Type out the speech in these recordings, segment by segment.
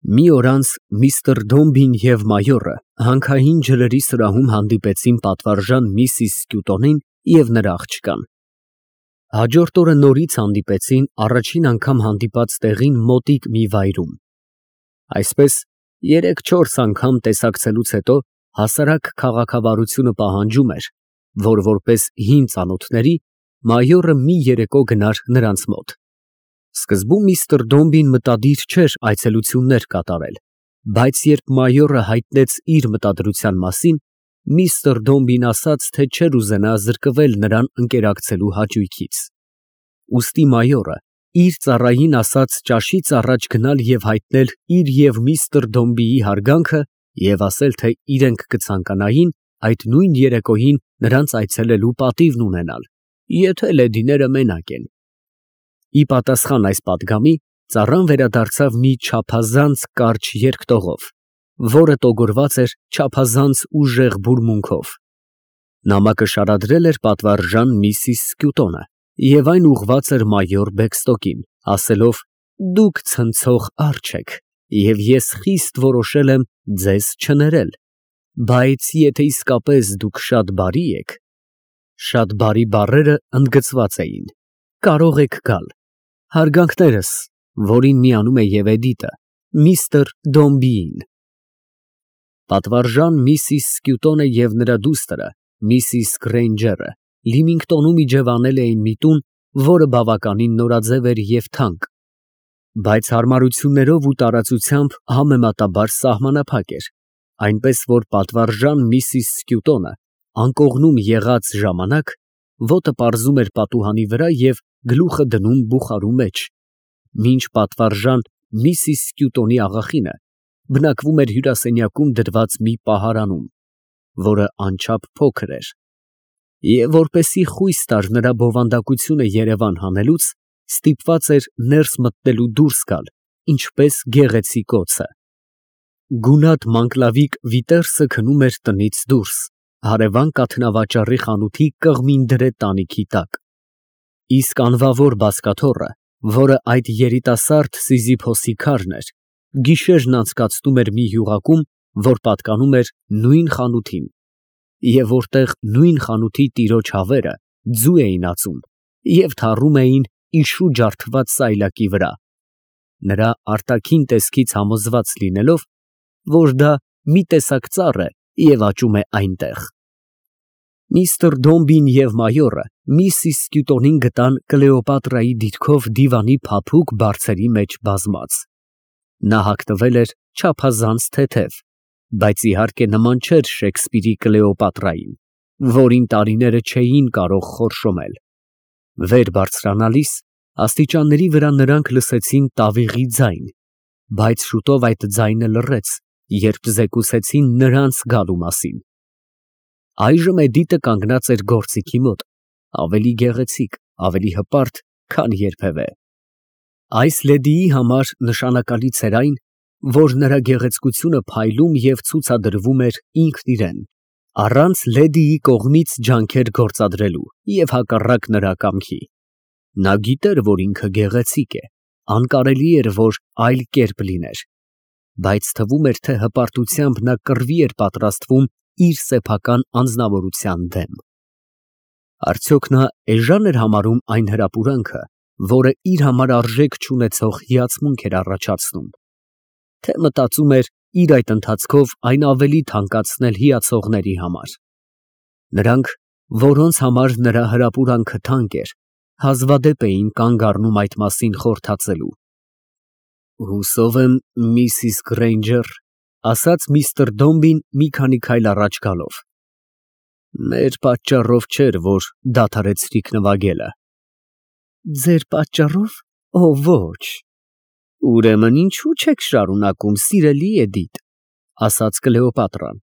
Մի օր անց միստր Դոմբին և մայորը հանքային ջրերի սրահում հանդիպեցին պատվարժան միսիս Սկյուտոնին և նրա աղջկան։ Հաջորդ օրը նորից հանդիպեցին առաջին անգամ հանդիպած տեղին մոտիկ մի վայրում։ Այսպես 3-4 անգամ տեսակցելուց հետո հասարակ քաղաքավարությունը պահանջում էր, որ որպես հին ծանոթների մայորը մի երեկո գնար նրանց մոտ։ Սկզբում միստր Դոմբին մտադիր չէր այցելություններ կատարել, բայց երբ մայորը հայտնեց իր մտադրության մասին, միստր Դոմբին ասաց, թե չէր ուզենա զրկվել նրան ընկերակցելու հաճույքից։ Ուստի մայորը իր ծառային ասաց ճաշից առաջ գնալ և հայտնել իր և միստր Դոմբիի հարգանքը և ասել, թե իրենք կցանկանային այդ նույն երեկոյին նրանց այցելելու պատիվն ունենալ, եթե լեդիները մենակ են։ Ի պատասխան այս պատգամի, ծառան վերադարձավ մի չափազանց կարճ երկտողով, որը տոգորված էր չափազանց ուժեղ բուրմունքով։ Նամակը շարադրել էր պատվարժան միսիս Սկյուտոնը և այն ուղղված էր մայոր Բեքստոկին, ասելով. «Դուք ցնցող արջ եք, և ես խիստ որոշել եմ ձեզ չներել, բայց եթե իսկապես դուք շատ բարի եք» (շատ բարի բառերը ընդգծված էին), կարող եք գալ։ Հարգանքներս, որին միանում է և Էդիտը, միստր Դոմբիին։ Պատվարժան միսիս Սկյուտոնը և նրա դուստրը միսիս Գրեյնջերը Լիմինգտոնում իջևանել էին մի տուն, որը բավականին նորաձև էր և թանկ, բայց հարմարություններով ու տարածությամբ համեմատաբար սահմանափակ էր, այնպես որ պատվարժան միսիս Սկյուտոնը անկողնում եղած ժամանակ ոտը պարզում էր պատուհանի վրա և գլուխը դնում բուխարու մեջ, մինչ պատվարժան միսիս Սկյուտոնի աղախինը բնակվում էր հյուրասենյակում դրված մի պահարանում, որը անչափ փոքր էր, և որպեսզի խույս տար նրա բովանդակությունը երևան հանելուց, ստիպված էր ներս մտնելու դուրս գալ, ինչպես գեղեցիկ օձը։ Գունատ մանկլավիկ Վիտերսը քնում էր տնից դուրս, հարևան կաթնավաճառի խանութի կղմին դրե տանիքի տակ, իսկ անվավոր բազկաթոռը, որը այդ երիտասարդ Սիզիփոսի քարն էր, գիշերն անցկացնում էր մի յուղակում, որ պատկանում էր նույն խանութին, և որտեղ նույն խանութի տիրոջ հավերը ձու էին ածում և թառում էին իշու ջարդված սայլակի վրա, նրա արտաքին տեսքից համոզված լինելով, որ դա մի տեսակ ծառ է և աճում է այնտեղ։ Միստր Դոմբին և մայորը միսիս Սկյուտոնին գտան Կլեոպատրայի դիրքով դիվանի փափուկ բարձերի մեջ բազմած։ Նա հագնվել էր չափազանց թեթև, բայց իհարկե նման չէր Շեքսպիրի Կլեոպատրային, որին տարիները չէին կարող խորշոմել։ Վեր բարձրանալիս աստիճանների վրա նրանք լսեցին տավիղի ձայն, բայց շուտով այդ ձայնը լռեց, երբ զեկուցեցին նրանց գալու մասին։ Այժմ Էդիտը կանգնած էր գործիքի մոտ, ավելի գեղեցիկ, ավելի հպարտ, քան երբևէ։ Այս լեդիի համար նշանակալից էր այն, որ նրա գեղեցկությունը փայլում և ցուցադրվում էր ինքն իրեն, առանց լեդիի կողմից ջանքեր գործադրելու և հակառակ նրա կամքի։ Նա գիտեր, որ ինքը գեղեցիկ է, անկարելի էր, որ այլ կերպ լիներ, բայց թվում էր, թե հպարտությամբ նա կռվի էր պատրաստվում իր սեփական անձնավորության դեմ։ Արդյոք նա էժան էր համարում այն հրապուրանքը, որը իր համար արժեք չունեցող հիացմունք էր առաջացնում, թե մտածում էր իր այդ ընթացքով այն ավելի թանկացնել հիացողների համար։ Նրանք, որոնց համար նրա հրապուրանքը թանկ էր, հազվադեպ էին կանգ առնում այդ մասին խորհրդածելու։ Հուսով եմ, միսիս Գրեյնջեր, ասաց միստր Դոմբին մի քանի քայլ առաջ գալով, մեր պատճառով չէր, որ դադարեցրիք նվագելը։ Ձեր պատճառով, օ ոչ։ Ուրեմն ինչու չեք շարունակում, սիրելի Էդիտ, ասաց Կլեոպատրան։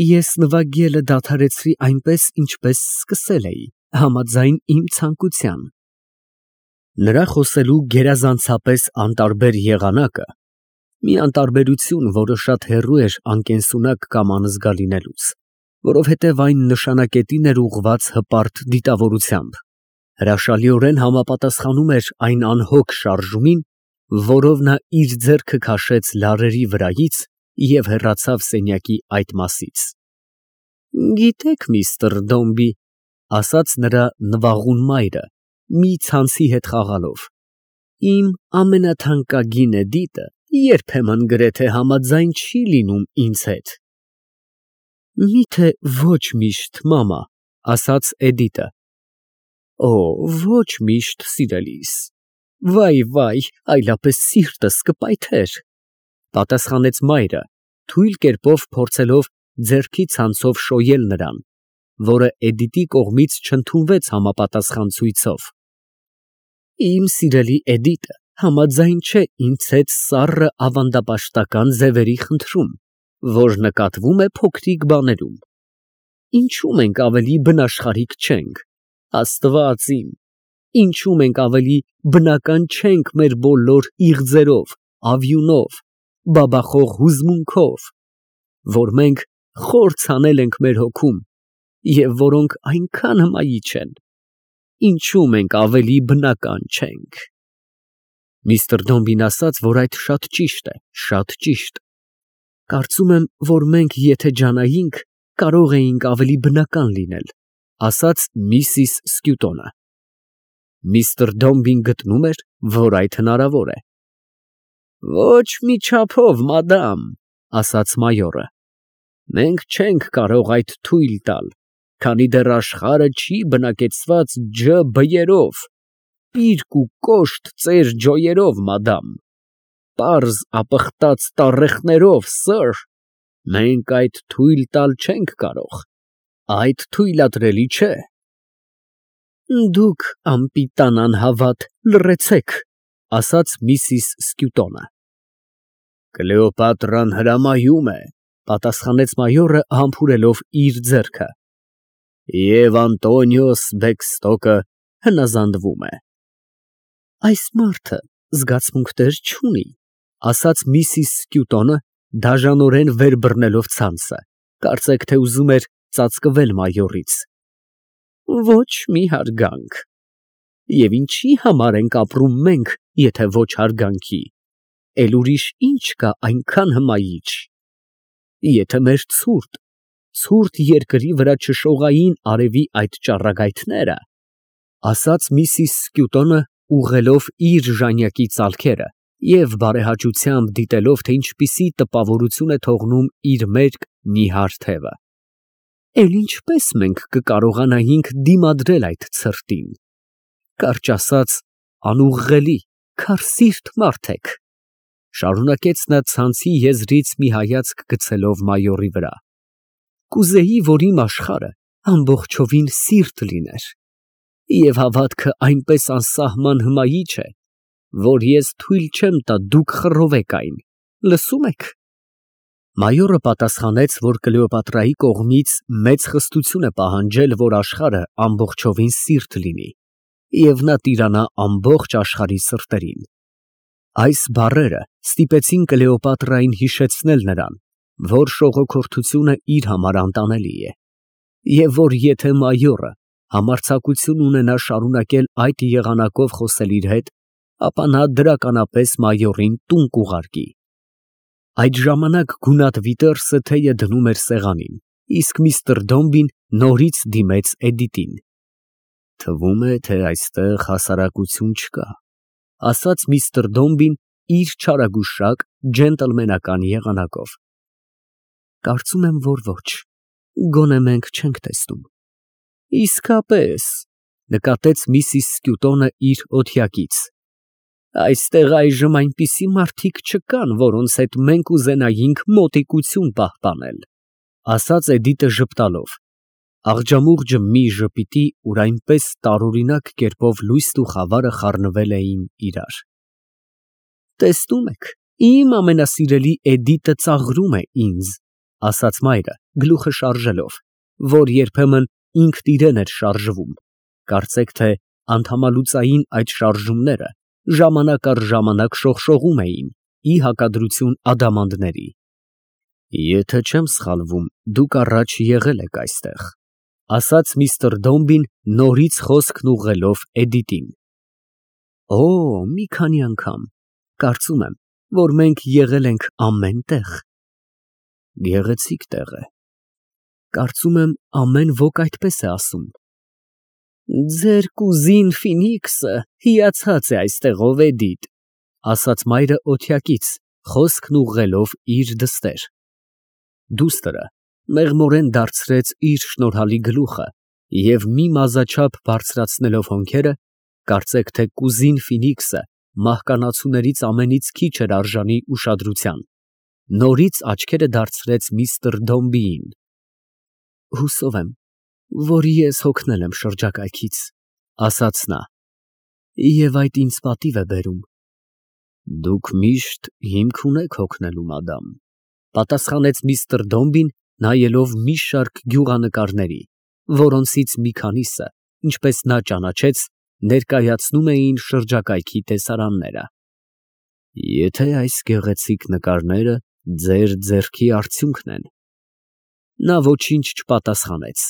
Ես նվագելը դադարեցրի այնպես, ինչպես սկսել էի, համաձայն իմ ցանկության։ Նրա խոսելու գերազանցապես անտարբեր եղանակը, մի անտարբերություն, որը շատ հեռու էր անկենսունակ կամ անզգա լինելուց, որովհետև այն նշանակետին էր ուղղված հպարտ դիտավորությամբ, հրաշալիորեն համապատասխանում էր այն անհոգ շարժումին, որով նա իր ձեռքը քաշեց լարերի վրայից և հեռացավ սենյակի այդ մասից։ Գիտեք, միստր Դոմբի, ասաց նրա նվաղուն մայրը, մի ցանցի հետ խաղալով, իմ ամենաթանկագին Էդիտը երբեմն գրեթե համաձայն չի լինում ինձ հետ։ Միթե ոչ միշտ, մամա, ասաց Էդիտը։ Օ, ոչ միշտ, սիրելիս, վայ, այլապես սիրտս կպայթեր, պատասխանեց մայրը, թույլ կերպով փորձելով ձեռքի ցանցով շոյել նրան, որը Էդիտի կողմից չընդունվեց համապատասխան ցույցով։ Իմ սիրելի Էդիտը համաձայն չէ ինձ հետ սառը ավանդապաշտական ձևերի խնդրում, որ նկատվում է փոքրիկ բաներում։ Ինչու մենք ավելի բնաշխարհիկ չենք, Աստված իմ, ինչու մենք ավելի բնական չենք մեր բոլոր իղձերով, ավյունով, բաբախող հուզմունքով, որ մենք խոր ցանել ենք մեր հոգում և որոնք այնքան հմայիչ են, ինչու մենք ավելի բնական չենք։ Միստր Դոմբին ասաց, որ այդ շատ ճիշտ է, շատ ճիշտ։ Կարծում եմ, որ մենք եթե ջանայինք, կարող էինք ավելի բնական լինել, ասաց միսիս Սկյուտոնը։ Միստր Դոմբին գտնում էր, որ այդ հնարավոր է։ Ոչ մի չափով, մադամ, ասաց մայորը։ Մենք չենք կարող այդ թույլ տալ, քանի դեռ աշխարհը չի բնակեցված ջ բյերով, պիրկ ու կոշտ ծեր ջոյերով, մադամ, պարզ ապխտած տառեխներով, սըր, մենք այդ թույլ տալ չենք կարող, այդ թույլատրելի չէ։ Դուք անպիտան անհավատ լռեցեք, ասաց միսիս Սկյուտոնը։ Կլեոպատրան հրամայում է, պատասխանեց մայորը համբուրելով իր ձեռքը, և Անտոնիոս Բեքստոկը հնազանդվում է։ Այս մարդը զգացմունքներ չունի, ասաց միսիս Սկյուտոնը, դաժանորեն վեր բռնելով ցանցը, կարծեք թե ուզում էր ծածկվել մայորից։ Ոչ մի հարգանք։ Եվ ինչի համար ենք ապրում մենք, եթե ոչ հարգանքի, էլ ուրիշ ինչ կա այնքան հմայիչ։ Եթե մեր ցուրտ երկրի վրա չշողային արևի այդ ճառագայթները, ասաց միսիս Սկյուտոնը, ուղղելով իր ժանյակի ծալքերը և բարեհաճությամբ դիտելով, թե ինչպիսի տպավորություն է թողնում իր մերկ նիհար թևը, էլ ինչպես մենք կկարողանայինք դիմադրել այդ ցրտին, կարճ ասած, անուղղելի, քարսիրտ մարդ եք, շարունակեց նա ցանցի եզրից մի հայացք գցելով մայորի վրա, կուզեի, որ իմ աշխարհը ամբողջովին սիրտ լիներ, և հավատքը այնպես անսահման հմայիչ է, որ ես թույլ չեմ տա դուք խռովեք այն, լսում եք։ Մայորը պատասխանեց, որ Կլեոպատրայի կողմից մեծ խստություն է պահանջել, որ աշխարհը ամբողջովին սիրտ լինի, և նա տիրանա ամբողջ աշխարհի սրտերին։ Այս բառերը ստիպեցին Կլեոպատրային հիշեցնել նրան, որ շողոքորթությունը իր համար անտանելի է, և որ եթե մայորը համարձակություն ունենա շարունակել այդ եղանակով խոսել իր հետ, ապա նա դրականապես մայորին տուն կուղարկի։ Այդ ժամանակ գունատ Վիտերսը թեյը դնում էր սեղանին, իսկ միստր Դոմբին նորից դիմեց Էդիտին։ Թվում է, թե այստեղ հասարակություն չկա, ասաց միստր Դոմբին իր չարագուշակ ջենտլմենական եղանակով։ Կարծում եմ, որ ոչ, գոնե մենք չենք տեսնում։ Իսկապես, նկատեց միսիս Սկյուտոնը իր օթյակից։ Այստեղ այժմ այնպիսի մարդիկ չկան, որոնց հետ մենք ուզենայինք մոտիկություն պահպանել, ասաց Էդիտը ժպտալով։ Աղջամուղջը մի ժպիտի, ուր այնպես տարօրինակ կերպով լույսն ու խավարը խառնվել էին իրար։ Տեսնում եք, իմ ամենասիրելի Էդիտը ծաղրում է ինձ, ասաց մայրը, գլուխը շարժելով, որ երբեմն ինքն իրեն էր շարժվում, կարծեք թե անդամալուծային այդ շարժումները ժամանակ առ ժամանակ շողշողում էին, ի հակադրություն ադամանդների։ Եթե չեմ սխալվում, դուք առաջ եղել եք այստեղ, ասաց միստր Դոմբին նորից խոսքն ուղղելով Էդիտին։ Օ, մի քանի անգամ, Կարծում եմ, որ մենք եղել ենք ամեն տեղ։ Գեղեցիկ տեղ է։ Կարծում եմ, ամեն ոք այդպես է ասում։ Ձեր կուզին Ֆինիքսը հիացած է այստեղով, Էդիթ, ասաց մայրը օթյակից, խոսքն ուղղելով իր դստեր։ Դուստրը մեղմորեն դարձրեց իր շնորհալի գլուխը և մի մազաչափ բարձրացնելով հոնքերը, կարծեք թե կուզին Ֆինիքսը մահկանացուներից ամենից քիչ էր արժանի ուշադրության, նորից աչքերը դարձրեց միստր Դոմբիին։ Հուսով եմ, որ ես հոգնել եմ շրջակայքից, ասաց նա, և այդ ինձ պատիվ է բերում։ Դուք միշտ հիմք ունեք հոգնելու, մադամ, պատասխանեց միստր Դոմբին, նայելով մի շարք գյուղանկարների, որոնցից մի քանիսը, ինչպես նա ճանաչեց, ներկայացնում էին շրջակայքի տեսարանները։ Եթե այս գեղեցիկ նկարները ձեր ձեռքի արդյունքն են։ Նա ոչինչ չպատասխանեց,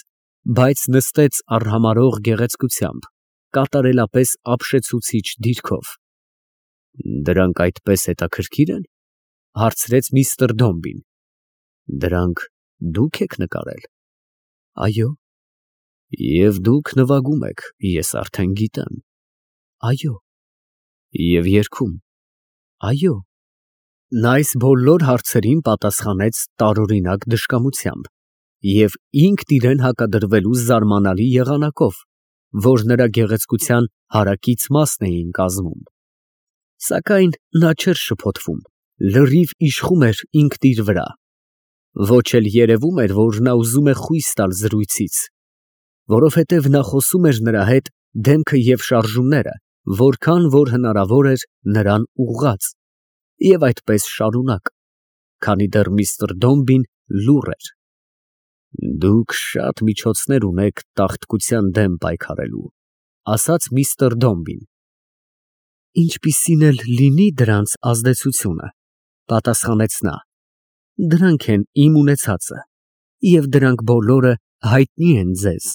բայց նստեց արհամարհող գեղեցկությամբ, կատարելապես ապշեցուցիչ դիրքով։ Դրանք այդպես հետաքրքիր են, հարցրեց միստր Դոմբին։ Դրանք դուք եք նկարել։ Այո։ Եվ դուք նվագում եք, ես արդեն գիտեմ։ Այո։ Եվ երգում։ Այո։ Նա այս բոլոր հարցերին պատասխանեց տարօրինակ դժկամությամբ և ինքն իրեն հակադրվելու զարմանալի եղանակով, որ նրա գեղեցկության հարակից մասն էին կազմում։ Սակայն նա չէր շփոթվում, լրիվ իշխում էր ինքն իր վրա։ Ոչ էլ երևում էր, որ նա ուզում է խույս տալ զրույցից, որովհետև նա խոսում էր նրա հետ դեմքը և շարժումները, որքան որ հնարավոր էր նրան ուղղած, և այդպես շարունակ, քանի դեռ միստր Դոմբին լուռ էր։ Դուք շատ միջոցներ ունեք տաղտկության դեմ պայքարելու, ասաց միստր Դոմբին։ Ինչպիսին էլ լինի դրանց ազդեցությունը, պատասխանեց նա, դրանք են իմ ունեցածը, և դրանք բոլորը հայտնի են ձեզ։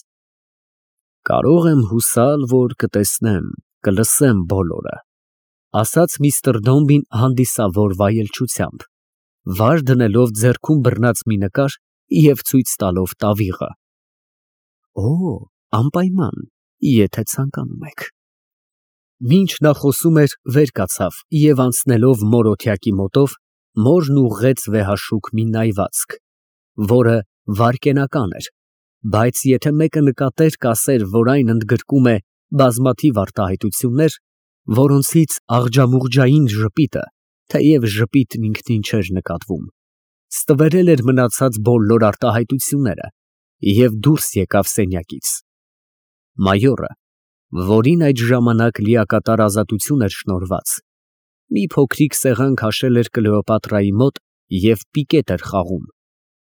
Կարող եմ հուսալ, որ կտեսնեմ, կլսեմ բոլորը, ասաց միստր Դոմբին հանդիսավոր վայելչությամբ, վար դնելով ձեռքում բռնած մի նկար և ցույց տալով տավիղը։ Օ, անպայման, եթե ցանկանում եք։ Մինչ նա խոսում էր, վեր կացավ և անցնելով մոր օթյակի մոտով, մորն ուղղեց վեհաշուք մի նայվածք, որը վայրկենական էր, բայց եթե մեկը նկատեր, կասեր, որ այն ընդգրկում է բազմաթիվ արտահայտություններ, որոնցից աղջամուղջային ժպիտը, թեև ժպիտն ինքնին չէր նկատվում, ստվերել էր մնացած բոլոր արտահայտությունները և դուրս եկավ սենյակից։ Մայորը, որին այդ ժամանակ լիակատար ազատություն էր շնորհված, մի փոքրիկ սեղան քաշել էր Կլեոպատրայի մոտ և պիկետ էր խաղում։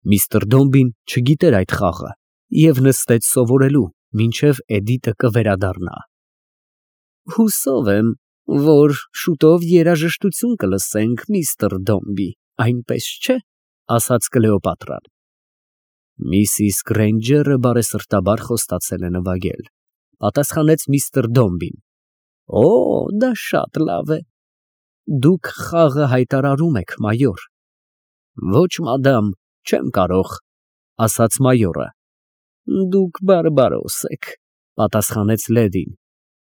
Միստր Դոմբին չգիտեր այդ խաղը և նստեց սովորելու, մինչև Էդիտը կվերադառնա։ Հուսով եմ, որ շուտով երաժշտություն կլսենք, միստր Դոմբի, այնպես չէ, ասաց Կլեոպատրան։ Միսիս Գրեյնջերը բարեսրտաբար խոստացել է նվագել, պատասխանեց միստր Դոմբին։ Օ, դա շատ լավ է։ Դուք խաղը հայտարարում եք, մայոր։ Ոչ, մադամ, չեմ կարող, ասաց մայորը։ Դուք բարբարոս եք, պատասխանեց լեդին,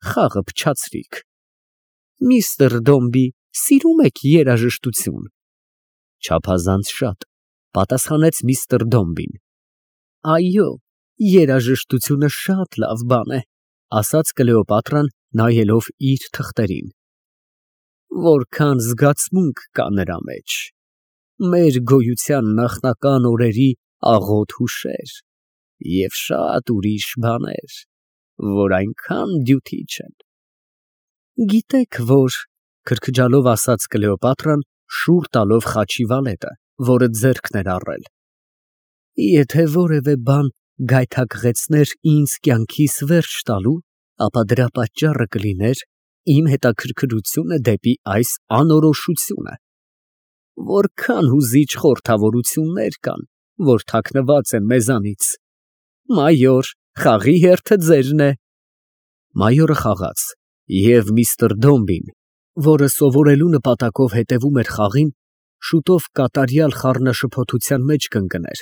խաղը փչացրիք։ Միստր Դոմբի, սիրում եք երաժշտություն։ Չափազանց շատ, պատասխանեց միստր Դոմբին։ Այո, երաժշտությունը շատ լավ բան է, ասաց Կլեոպատրան, նայելով իր թղթերին։ Որքան զգացմունք կա նրա մեջ։ Մեր գոյության նախնական օրերի աղոտ հուշեր և շատ ուրիշ բաներ, որ այնքան դյութի չեն։ Գիտեք, որ, քրքջալով ասաց Կլեոպատրան, շուռ տալով խաչի վալետը, որը ձեռքն էր առել, եթե որևէ բան գայթակղեցներ ինձ կյանքիս վերջ տալու, ապա դրա պատճառը կլիներ իմ հետաքրքրությունը դեպի այս անորոշությունը։ Որքան հուզիչ խորհրդավորություններ կան, որ թաքնված են մեզանից։ Մայոր, խաղի հերթը ձերն է։ Մայորը խաղաց, և միստր Դոմբին որը սովորելու նպատակով հետևում էր խաղին, շուտով կատարյալ խառնաշփոթության մեջ կընկներ,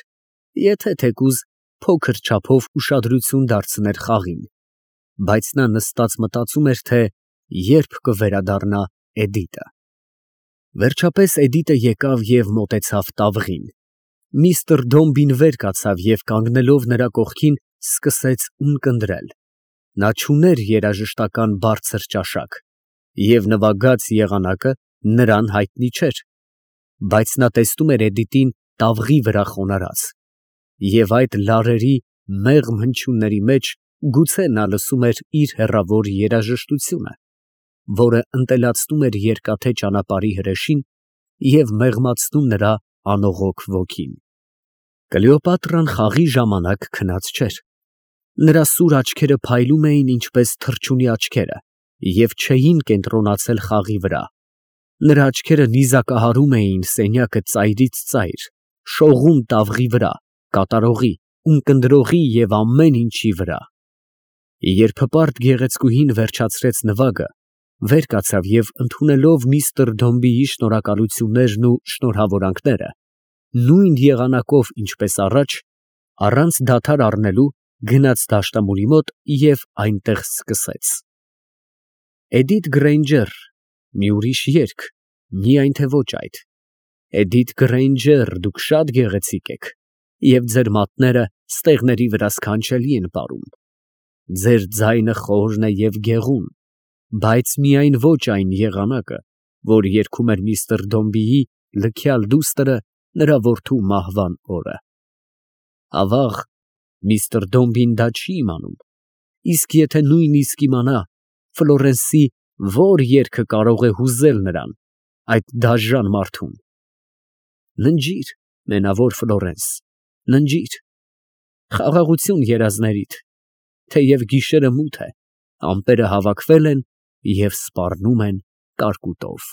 եթե թեկուզ փոքր չափով ուշադրություն դարձներ խաղին, բայց նա նստած մտածում էր, թե երբ կվերադառնա Էդիտը։ Վերջապես Էդիտը եկավ և մոտեցավ տավղին։ Միստր Դոմբին վեր կացավ և կանգնելով նրա կողքին սկսեց ունկնդրել։ Նա չուներ երաժշտական բարձր ճաշակ, և նվագած եղանակը նրան հայտնի չէր, բայց նա տեսնում էր Էդիտին տավղի վրա խոնարհած, և այդ լարերի մեղմ հնչյունների մեջ գուցե նա լսում էր իր հեռավոր երաժշտությունը, որը ընտելացնում էր երկաթե ճանապարհի հրեշին և մեղմացնում նրա անողոք ոգին։ Կլեոպատրան խաղի ժամանակ քնած չէր։ Նրա սուր աչքերը փայլում էին ինչպես թռչունի աչքերը և չէին կենտրոնացել խաղի վրա։ Նրա աչքերը նիզակահարում էին սենյակը ծայրից ծայր, շողում տավղի վրա, կատարողի, ունկնդրողի և ամեն ինչի վրա։ Երբ հպարտ գեղեցկուհին վերջացրեց նվագը, վեր կացավ և ընդունելով միստր Դոմբիի շնորհակալություններն ու շնորհավորանքները, նույն եղանակով, ինչպես առաջ, առանց դադար առնելու, գնաց դաշնամուրի մոտ և այնտեղ սկսեց. Էդիթ Գրեյնջեր, մի ուրիշ երգ, միայն թե ոչ այդ, Էդիթ Գրեյնջեր, դուք շատ գեղեցիկ եք, և ձեր մատները ստեղների վրա սքանչելի են պարում, ձեր ձայնը խորն է և գեղուն, բայց միայն ոչ այն եղանակը, որ երգում էր միստր Դոմբիի լքյալ դուստրը նրա որդու մահվան օրը։ Ավաղ, միստր Դոմբին դա չի իմանում, իսկ եթե նույնիսկ իմանա, Ֆլորենսի որ երգը կարող է հուզել նրան, այդ դաժան մարդուն։ Ննջիր, մենավոր Ֆլորենս, ննջիր, խաղաղություն երազներիդ, թեև գիշերը մութ է, ամպերը հավաքվել են և սպառնում են կարկուտով։